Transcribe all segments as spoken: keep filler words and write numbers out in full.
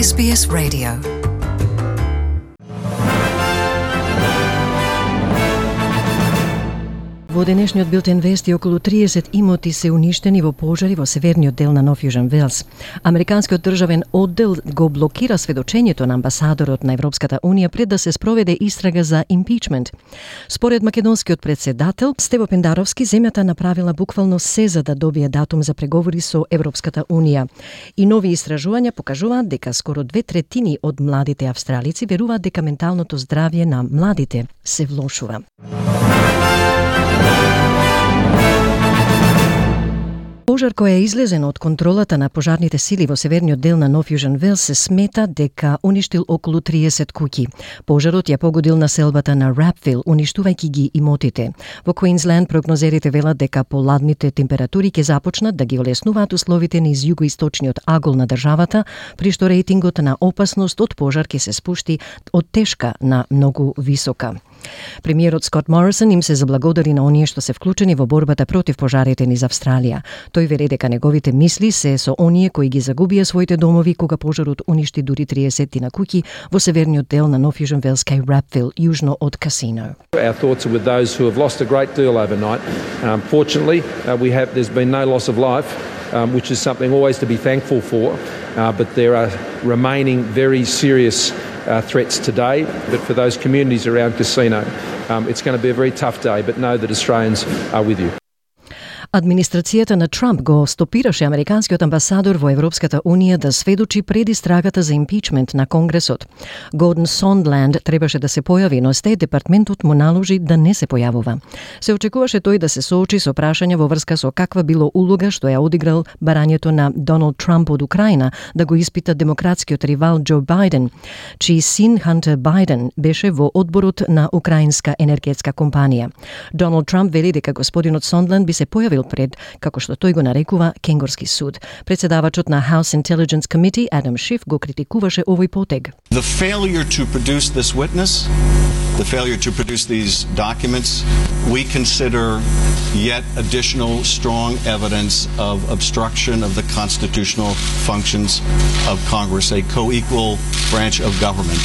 С Б С Radio. Во денешниот билтен вести околу триесет имоти се уништени во пожари во северниот дел на Нов Јужен Велс. Американскиот државен оддел го блокира сведочењето на амбасадорот на Европската Унија пред да се спроведе истрага за импичмент. Според македонскиот председател Стево Пендаровски, земјата направила буквално се за да добие датум за преговори со Европската Унија. И нови истражувања покажуваат дека скоро две третини од младите австралици веруваат дека менталното здравје на младите се влошува. Пожар кој е излезен од контролата на пожарните сили во северниот дел на Нов Јужен Велс се смета дека уништил околу триесет куќи. Пожарот ја погодил населбата на Рапвил, уништувајќи ги имотите. Во Квинсленд прогнозерите велат дека поладните температури ќе започнат да ги олеснуваат условите низ југоисточниот агол на државата, при што рейтингот на опасност од пожар ќе се спушти од тешка на многу висока. Премиерот Скот Морисон им се заблагодари на оние што се вклучени во борбата против пожарите низ Австралија. Тој вели дека неговите мисли се со оние кои ги загубија своите домови кога пожарот уништи дури триесет на куќи во северниот дел на Нов Јужен Велс кај Рапвил, јужно од Casino. Our thoughts are with those who have lost a great deal overnight. Um, fortunately, uh, we have there's been no loss of life, um, which is something always to be thankful for. Uh, but there are remaining very serious uh, threats today. But for those communities around Casino, um, it's going to be a very tough day. But know that Australians are with you. Администрацијата на Трамп го стопираше американскиот амбасадор во Европската Унија да сведочи пред истрагата за импичмент на Конгресот. Гордон Сондланд требаше да се појави, но Стејт департментот му наложи да не се појавува. Се очекуваше тој да се соочи со прашања во врска со каква било улога што ја одиграл барањето на Доналд Трамп од Украина да го испита демократскиот ривал Џо Бајден, чиј син Хантер Бајден беше во одборот на украинска енергетска компанија. Доналд Трамп вели дека господинот Сондланд би се појавил пред, како што тој го нарекува, Кенгорски суд. Председавачот на House Intelligence Committee, Адам Шиф, го критикуваше овој потег. The failure to produce this witness, the failure to produce these documents, we consider yet additional strong evidence of obstruction of the constitutional functions of Congress, a co-equal branch of government.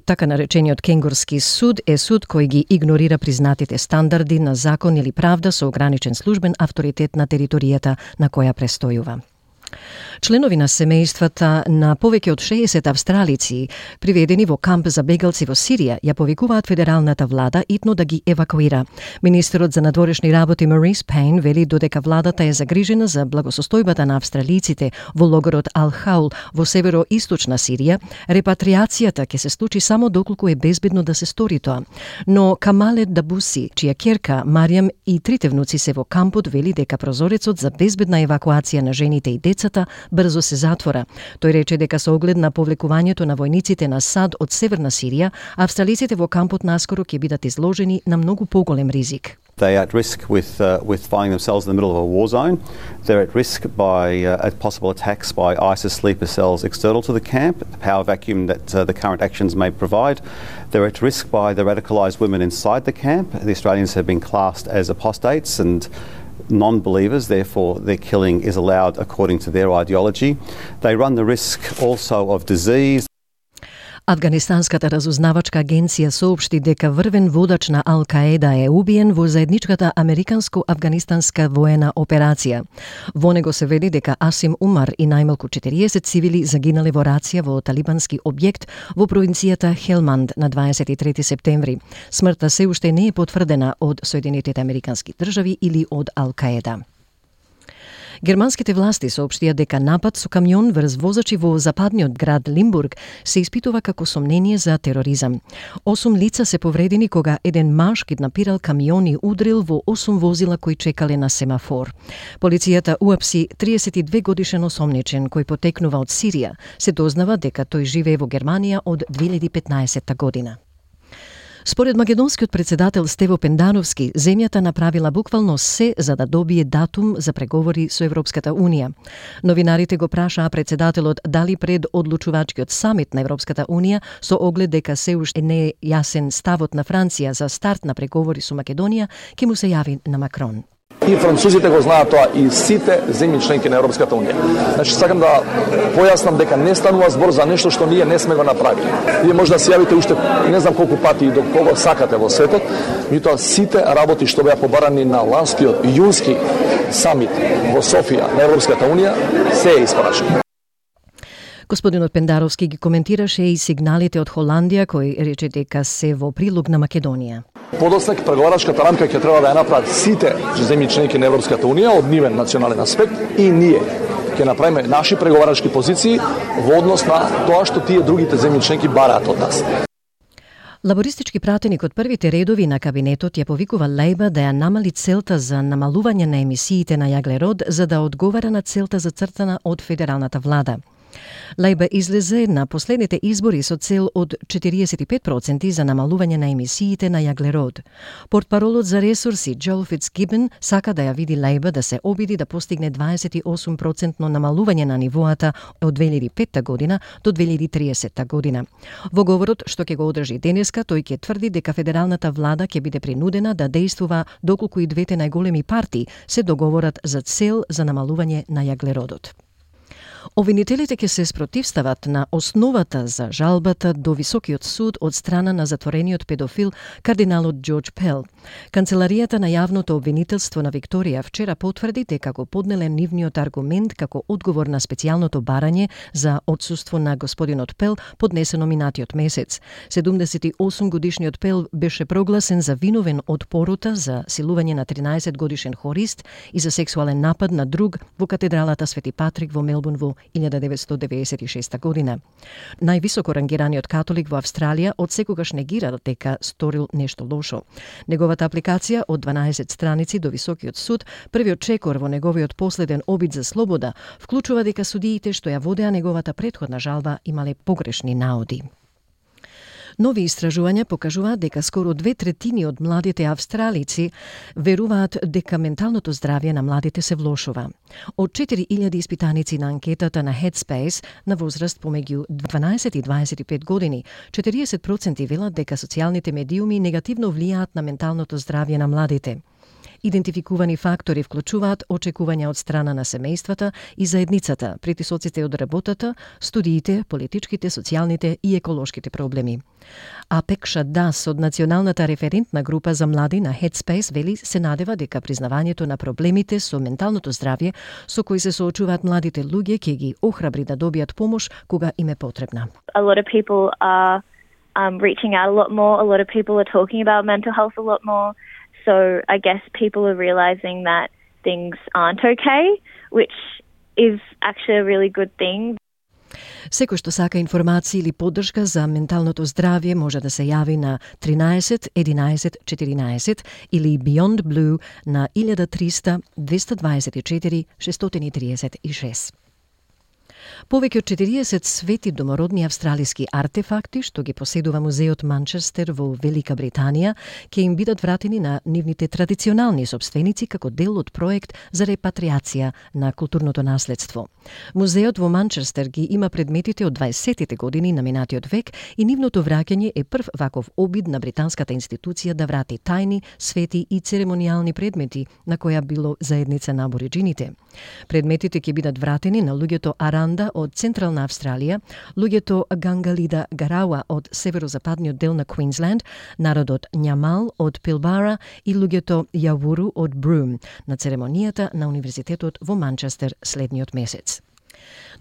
Така наречениот Кенгорски суд е суд кој ги игнорира признатите стандарди на закон или правда со ограничен службен авторитет на територијата на која престојува. Членови на семејствата на повеќе од шеесет австралици приведени во камп за бегалци во Сирија ја повикуваат федералната влада итно да ги евакуира. Министерот за надворешни работи Марис Пейн вели додека владата е загрижена за благосостојбата на австралиците во логорот Ал-Хаул во северо-источна Сирија, репатриацијата ќе се случи само доколку е безбедно да се стори тоа. Но Камале Дабуси, чија ќерка Маријам и трите внуци се во кампот, вели дека прозорецот за безбедна евакуација на жените и децата брзо се затвора. Тој рече дека со оглед на повлекувањето на војниците на САД од Северна Сирија, австралиците во кампот наскоро ќе бидат изложени на многу поголем ризик. They are at risk with uh, with finding themselves in the middle of a war zone. They're at risk by uh, at possible attacks by ISIS sleeper cells external to the camp, the power vacuum that uh, the current actions may provide. They're at risk by the radicalised women inside the camp. The Australians have been classed as apostates and non-believers, therefore their killing is allowed according to their ideology. They run the risk also of disease. Афганистанската разузнавачка агенција соопшти дека врвен водач на Ал-Каеда е убиен во заедничката американско-афганистанска воена операција. Во него се вели дека Асим Умар и најмалку четириесет цивили загинале во рација во талибански објект во провинцијата Хелманд на дваесет и трети септември. Смртта се уште не е потврдена од Соединетите американски држави или од Ал-Каеда. Германските власти соопштија дека напад со камион врз возачи во западниот град Лимбург се испитува како сомнение за тероризам. Осум лица се повредени кога еден маж киднапирал камион и удрил во осум возила кои чекале на семафор. Полицијата уапси триесет и две годишен осомничен кој потекнува од Сирија. Се дознава дека тој живее во Германија од две илјади и петнаесетта година. Според македонскиот председател Стево Пендановски, земјата направила буквално се за да добие датум за преговори со Европската Унија. Новинарите го прашаа председателот дали пред одлучувачкиот самит на Европската Унија со оглед дека се уште не е јасен ставот на Франција за старт на преговори со Македонија, ќе му се јави на Макрон. И французите го знаат тоа и сите земји членки на Европската унија. Значи сакам да појаснам дека не станува збор за нешто што ние не сме го направили. Вие може да се јавите уште не знам колку пати и до кого сакате во светот, меѓутоа сите работи што беа побарани на ланскиот јунски самит во Софија на Европската унија се е испрашани. Господинот Пендаровски ги коментираше и сигналите од Холандија кои рече дека се во прилог на Македонија. Подоснак преговарачката рамка ќе треба да ја направат сите земји членки на Европската унија од нивен национален аспект и ние ќе направиме наши преговарачки позиции во однос на тоа што тие другите земји членки бараат од нас. Лабористички пратеник од првите редови на кабинетот ја повикува Лејба да ја намали целта за намалување на емисиите на јаглерод за да одговара на целта зацртана од федералната влада. Лејба излезе на последните избори со цел од четириесет и пет проценти за намалување на емисиите на јаглерод. Портпаролот за ресурси Џоел Фицгибен сака да ја види Лејба да се обиди да постигне дваесет и осум процентно намалување на нивоата од две илјади и петта година до две илјади и триесетта година. Во говорот што ќе го одржи денеска, тој ќе тврди дека федералната влада ќе биде принудена да действува доколку и двете најголеми партии се договорат за цел за намалување на јаглеродот. Обвинителите ќе се спротивстават на основата за жалбата до Високиот суд од страна на затворениот педофил кардиналот Џорџ Пел. Канцеларијата на јавното обвинителство на Викторија вчера потврди дека го поднеле нивниот аргумент како одговор на специјалното барање за отсуство на господинот Пел поднесено минатиот месец. седумдесет и осум годишниот Пел беше прогласен за виновен од порота за силување на тринаесет годишен хорист и за сексуален напад на друг во катедралата Свети Патрик во Мелбурн во илјада деветстотини деведесет и шеста година. Највисоко рангираниот католик во Австралија од секогаш негира дека сторил нешто лошо. Неговата апликација од дванаесет страници до Високиот суд, првиот чекор во неговиот последен обид за слобода, вклучува дека судиите што ја водеа неговата претходна жалба имале погрешни наоди. Нови истражувања покажуваат дека скоро две третини од младите австралици веруваат дека менталното здравје на младите се влошува. Од четири илјади испитаници на анкетата на Headspace на возраст помеѓу дванаесет и дваесет и пет години, четириесет проценти велат дека социјалните медиуми негативно влијаат на менталното здравје на младите. Идентификувани фактори вклучуваат очекувања од страна на семејствата и заедницата, притисоците од работата, студиите, политичките, социјалните и еколошките проблеми. А Пекша Дас од Националната референтна група за млади на Headspace вели се надева дека признавањето на проблемите со менталното здравје со кои се соочуваат младите луѓе ќе ги охрабри да добијат помош кога им е потребна. A lot of people are um, reaching out a lot more. A lot of people are talking about mental health a lot more. So I guess people are realizing that things aren't okay, which is actually a really good thing. Секој што сака информации или поддршка за менталното здравје може да се јави на тринаесет единаесет четиринаесет или Beyond Blue на илјада триста двеста дваесет и четири шестстотини триесет и шест. Повеќе од четириесет свети домородни австралиски артефакти што ги поседува музеот Манчестер во Велика Британија ќе им бидат вратени на нивните традиционални собственици како дел од проект за репатриација на културното наследство. Музеот во Манчестер ги има предметите од дваесеттите години на минатиот век и нивното враќање е прв ваков обид на британската институција да врати тајни, свети и церемонијални предмети на која било заедница на абориџините. Предметите ќе бидат вратени на луѓето Аранда од Централна Австралија, луѓето Гангалида Гарауа од северозападниот дел на Квинсленд, народот Њамал од Пилбара и луѓето Јавуру од Брум на церемонијата на Универзитетот во Манчестер следниот месец.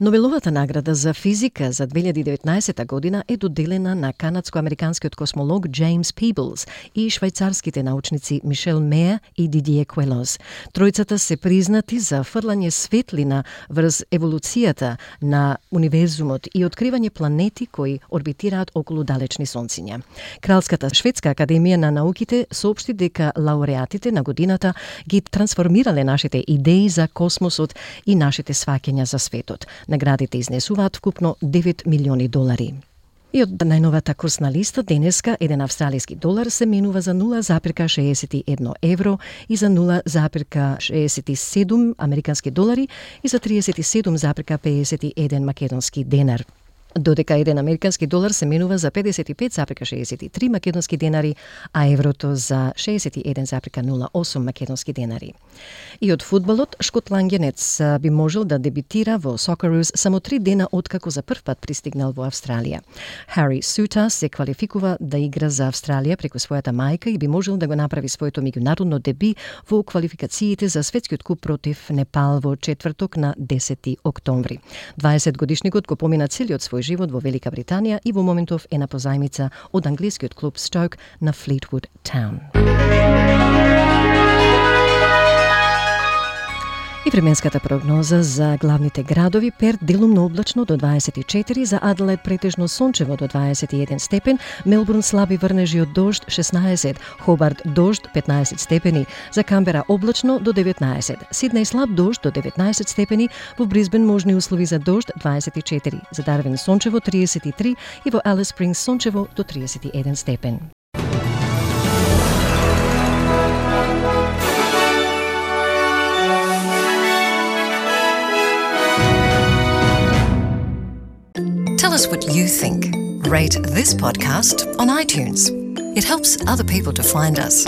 Нобеловата награда за физика за две илјади и деветнаесетта година е доделена на канадско-американскиот космолог Джеймс Пиблс и швајцарските научници Мишел Меа и Дидие Куелос. Тројцата се признати за фрлање светлина врз еволуцијата на универзумот и откривање планети кои орбитираат околу далечни сонциња. Кралската шведска академија на науките соопшти дека лауреатите на годината ги трансформирале нашите идеи за космосот и нашите сваќања за светот. Наградите изнесуваат вкупно девет милиони долари. И од најновата курсна листа денеска еден австралиски долар се менува за нула запирка шеесет и едно евро и за нула запирка шеесет и седум американски долари и за триесет и седум запирка пеесет и еден македонски денар. додека еден американски долар се менува за педесет и пет зарем шеесет и три македонски денари, а еврото за шеесет и еден зарем нула осум македонски денари. И од фудбалот, шотландјанец би можел да дебитира во Socceroos само три дена откако за прв пат пристигнал во Австралија. Хари Сута се квалификува да игра за Австралија преку својата мајка и би можел да го направи своето меѓународно деби во квалификациите за светскиот куп против Непал во четврток на десети октомври. дваесет годишникот го помина целиот свој живот во Велика Британија и во моментов е на позајмица од англискиот клуб Stoke на Fleetwood Town. И временската прогноза за главните градови: Перт делумно облачно до дваесет и четири, за Аделаид претежно сончево до дваесет и еден степен, Мелбурн слаби врнежи од дожд шеснаесет, Хобарт дожд петнаесет степени, за Камбера облачно до деветнаесет, Сиднеј слаб дожд до деветнаесет степени, во Брисбен можни услови за дожд дваесет и четири, за Дарвин сончево триесет и три и во Алис Спрингс сончево до триесет и еден степен. Tell us what you think. Rate this podcast on iTunes. It helps other people to find us.